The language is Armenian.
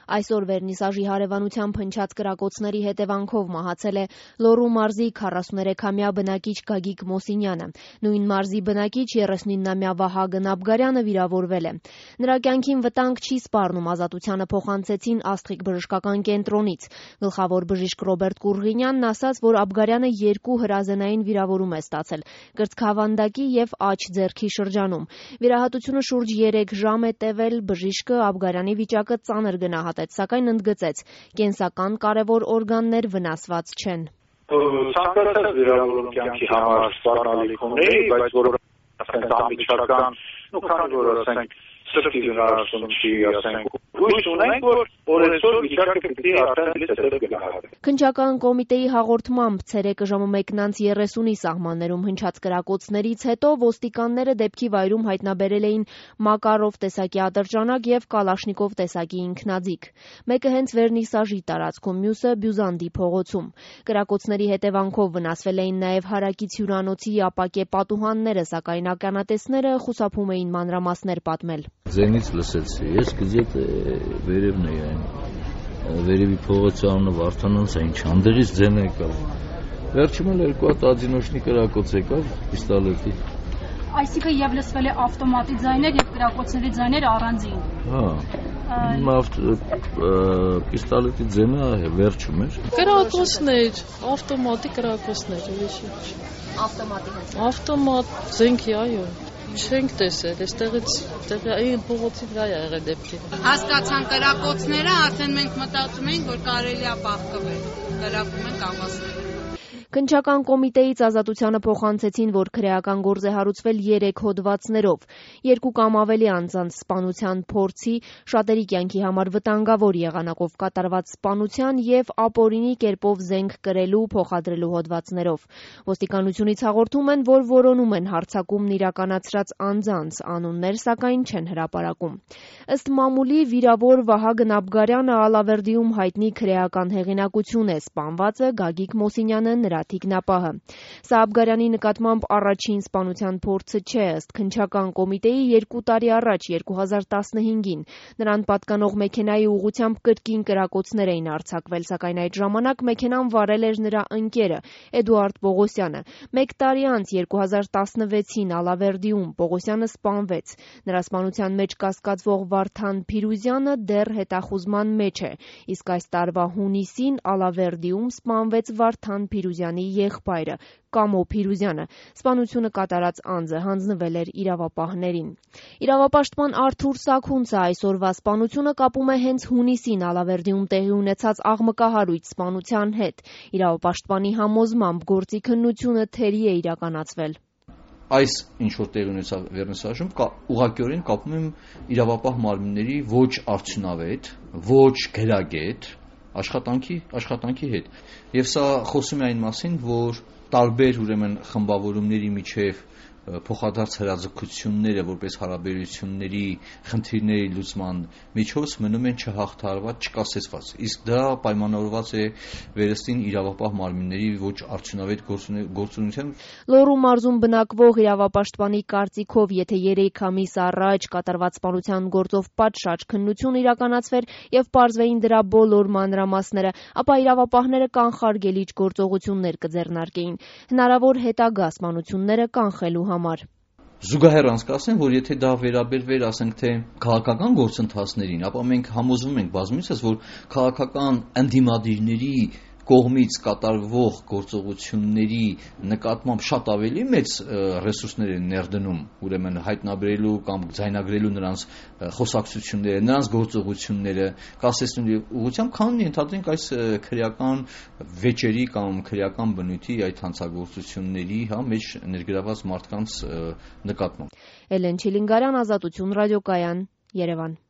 Այսօր վերնիսաժի հարևանությամբ հնչած կրակոցների հետևանքով մահացել է Լոռու մարզի 43-ամյա բնակիչ Գագիկ Մոսինյանը։ Նույն մարզի բնակիչ 39-ամյա Վահագն Աբգարյանը վիրավորվել է։ Նրա կյանքին վտանգ չի սպառնում, ազատությանը փոխանցեցին Աստղիկ բժշկական կենտրոնից։ Գլխավոր բժիշկ Ռոբերտ Կուրղինյանն ասաց, որ Աբգարյանը 2 հրազենային վիրավորում է ստացել՝ կրծքավանդակի և աջ ձեռքի շրջանում։ Վիրահատությունը շուրջ 3 ժամ է տևել, բժիշկը Աբգարյանի վիճակը ծանր գնահատեց, սակայն ընդգծեց՝ կենսական կարևոր օրգաններ վնասված չեն։ Ցանկացած վիրավորում կյանքի համար սպառնալիք ունի, բայց որ անմիջական, քանի որ ասենք սրտի վնասում չի, ասենք հույս ունենք, որ օրեցօր վիճակը պիտի արդեն հետև գնահատվի։ Քննչական կոմիտեի հաղորդմամբ ցերեկը ժամը 1:30-ի սահմաններում հնչած կրակոցներից հետո ոստիկանները դեպքի վայրում հայտնաբերել էին Մակարով տեսակի ատրճանակ և Կալաշնիկով տեսակի ինքնաձիգ։ Մեկը հենց վերնիսաժի տարածքում, մյուսը Բյուզանդի փողոցում։ Կրակոցների հետևանքով վնասվել էին նաև հարակից հյուրանոցի ապակե պատուհանները, սակայն ականատեսները խուսափում էին մանրամասներ պատմել։ Ձենից լսեցի, ես գիտեք վերևն էի այն, վերևի փողոցի անունը Վարդանանց է, ինչ անդեղից ձեն եկավ, վերջում էլ 2 հատ ադինոշնի կրակոց եկավ, պիստոլետի։ Այսինքն և լսվել է ավտոմատի ձայներ և կրակոցների ձայներ առանձին։ Պիստոլետի ձենը վերջում էր։ Կրակոցներ, ավտոմատի կրակոցներ, ուրիշ ինչ։ Ավտոմատի հենց։ Ավտոմատ զենքի, այո։ Չենք տեսել, այստեղից այն փողոցի վրա է եղել դեպքը։ Հասկացան կրակոցները, արդեն մենք մտածում ենք, որ կարելի է բախկվել։ Կրակում են կաղասները։ Քննչական կոմիտեից ազատությանը փոխանցեցին, որ քրեական գործ է հարուցվել 3 հոդվածներով։ 2 կամ ավելի անձանց սպանության փորձի, շատերի կյանքի համար վտանգավոր եղանակով կատարված սպանության և ապօրինի կերպով զենք կրելու, փոխադրելու հոդվածներով։ Ոստիկանությունից հաղորդում են, որ որոնում են հարձակումն իրականացրած անձանց անուններ, սակայն չեն հրապարակում։ Ըստ մամուլի վիրավոր Վահագն Աբգարյանը Ալավերդիում հայտնի քրեական հեղինակություն է, սպանվածը Գագիկ Մոսինյանը նրա թիկնապահը։ Սա Աբգարյանի նկատմամբ առաջին սպանության փորձը չէ, ըստ քննչական կոմիտեի 2 տարի առաջ 2015-ին նրան պատկանող մեքենայի ուղղությամբ կրկին կրակոցներ էին արձակվել, սակայն այդ ժամանակ մեքենան վարել էր նրա ընկերը Էդուարդ Պողոսյանը։ 1 տարի անց 2016-ին Ալավերդիում Պողոսյանը սպանվեց։ Նրա սպանության մեջ կասկածվող Վարդան Փիրուզյանը դեռ հետախուզման մեջ է, իսկ այս տարվա հունիսին Ալավերդիում սպանվեց Վարդան Փիրուզյանի եղբայրը Կամո Փիրուզյանը։ Սպանությունը կատարած անձը հանձնվել էր իրավապահներին։ Իրավապաշտպան Արթուր Սաքունցը այսօրվա սպանությունը կապում է հենց հունիսին Ալավերդիում տեղի ունեցած աղմկահարույց սպանության հետ։ Իրավապաշտպանի համոզմամբ գործի քննությունը թերի է իրականացվել։ Այս ինչ որ տեղի ունեցավ վերնիսաժում, ուղղակիորեն կապում եմ իրավապահ մարմինների ոչ արդյունավետ, ոչ գրագետ աշխատանքի հետ։ Եվ սա խոսում է այն մասին, որ տարբեր ուրեմն խմբավորումների միջև փոխադարձ հրաձգությունները որպես հարաբերությունների խնդիրների լուծման միջոց մնում են չհաղթահարված, չկասեցված։ Իսկ դա պայմանավորված է վերստին իրավապահ մարմինների ոչ արդյունավետ գործունեությամբ։ Լոռու մարզում բնակվող իրավապաշտպանի կարծիքով, եթե 3 ամիս առաջ կատարված սպանության գործով պատշաճ քննություն իրականացվեր և պարզվեին դրա բոլոր մանրամասները, ապա իրավապահները կանխարգելիչ գործողություններ կձեռնարկեին, հնարավոր հետագա սպանությունները կանխելու համար։ Զուգահեռ անցկացնեմ, որ եթե դա վերաբերվեր, ասենք թե քաղաքական գործընթացներին, ապա մենք համոզվում ենք բազմիցս, որ քաղաքական ընդդիմադիրների կողմից կատարվող գործողությունների նկատմամբ շատ ավելի մեծ ռեսուրսներ են ներդնում, ուրեմն հայտնաբերելու կամ ձայնագրելու նրանց խոսակցությունները, նրանց գործողությունները, կասեցնելու ուղղությամբ, քան ենթադրենք այս քրեական վեճերի կամ քրեական բնույթի այդ հանցագործությունների մեջ ներգրաված մարդկանց նկատմամբ։ Էլեն Չիլինգարյան, Ազատություն ռադիոկայան, Երևան։